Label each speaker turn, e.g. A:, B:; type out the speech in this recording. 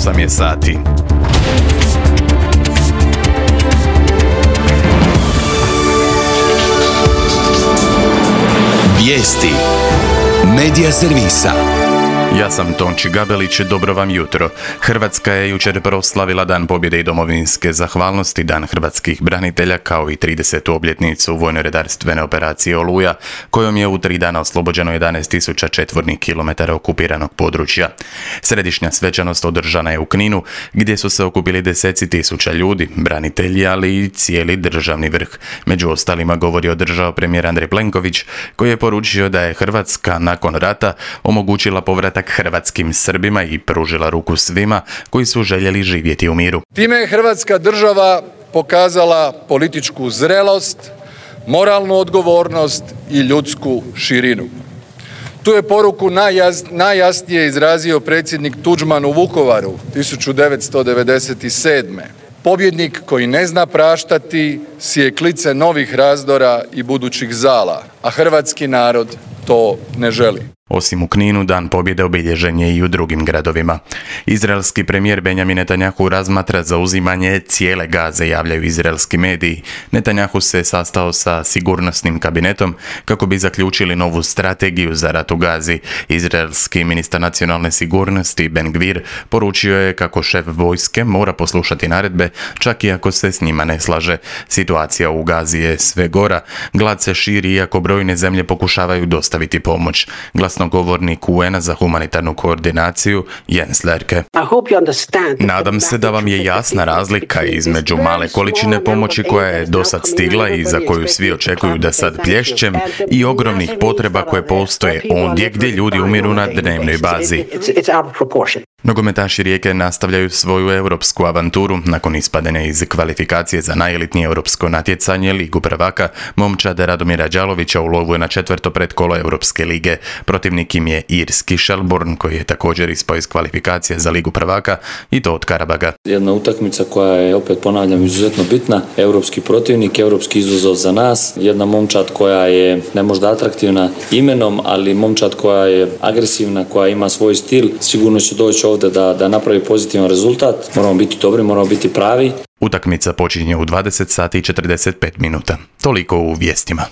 A: 8 je sati.
B: Vijesti Medija servisa.
A: Ja sam Tonči Gabelić, dobro vam jutro. Hrvatska je jučer proslavila Dan pobjede i domovinske zahvalnosti, Dan hrvatskih branitelja, kao i 30. obljetnicu vojno-redarstvene operacije Oluja, kojom je u 3 dana oslobođeno 11.000 četvornih kilometara okupiranog područja. Središnja svečanost održana je u Kninu, gdje su se okupili deseci tisuća ljudi, branitelji, ali i cijeli državni vrh. Među ostalima govori održao premijer Andrej Plenković, koji je poručio da je Hrvatska nakon rata omogućila povratak hrvatskim Srbima i pružila ruku svima koji su željeli živjeti u miru.
C: Time je Hrvatska država pokazala političku zrelost, moralnu odgovornost i ljudsku širinu. Tu je poruku najjasnije izrazio predsjednik Tuđman u Vukovaru 1997. Pobjednik koji ne zna praštati sije klice novih razdora i budućih zala, a hrvatski narod to ne želi.
A: Osim u Kninu, Dan pobjede obilježen je i u drugim gradovima. Izraelski premijer Benjamin Netanjahu razmatra zauzimanje cijele Gaze, javljaju izraelski mediji. Netanjahu se sastao sa sigurnosnim kabinetom kako bi zaključili novu strategiju za rat u Gazi. Izraelski ministar nacionalne sigurnosti Ben Gvir poručio je kako šef vojske mora poslušati naredbe, čak i ako se s njima ne slaže. Situacija u Gazi je sve gora, glad se širi iako brojne zemlje pokušavaju dostaviti pomoć. Glasnogovornik UN-a za humanitarnu koordinaciju Jens Lerke. Nadam se da vam je jasna razlika između male količine pomoći koja je dosad stigla i za koju svi očekuju da sad plješćem i ogromnih potreba koje postoje ondje gdje ljudi umiru na dnevnoj bazi. Nogometaši Rijeke nastavljaju svoju europsku avanturu. Nakon ispadene iz kvalifikacije za najelitnije europsko natjecanje Ligu prvaka, momčad Radomira Đalovića u lovu je na 4. pretkolo Europske lige. Protivnik im je irski Shelbourne, koji je također ispao iz kvalifikacije za Ligu prvaka, i to od Karabaga.
D: Jedna utakmica koja je, opet ponavljam, izuzetno bitna. Europski protivnik, europski izazov za nas. Jedna momčad koja je ne možda atraktivna imenom, ali momčad koja je agresivna, koja ima svoj stil. Sigurno će doći ovdje da napravi pozitivan rezultat. Moramo biti dobri, moramo biti pravi.
A: Utakmica počinje u 20 sati i 45 minuta. Toliko u vijestima.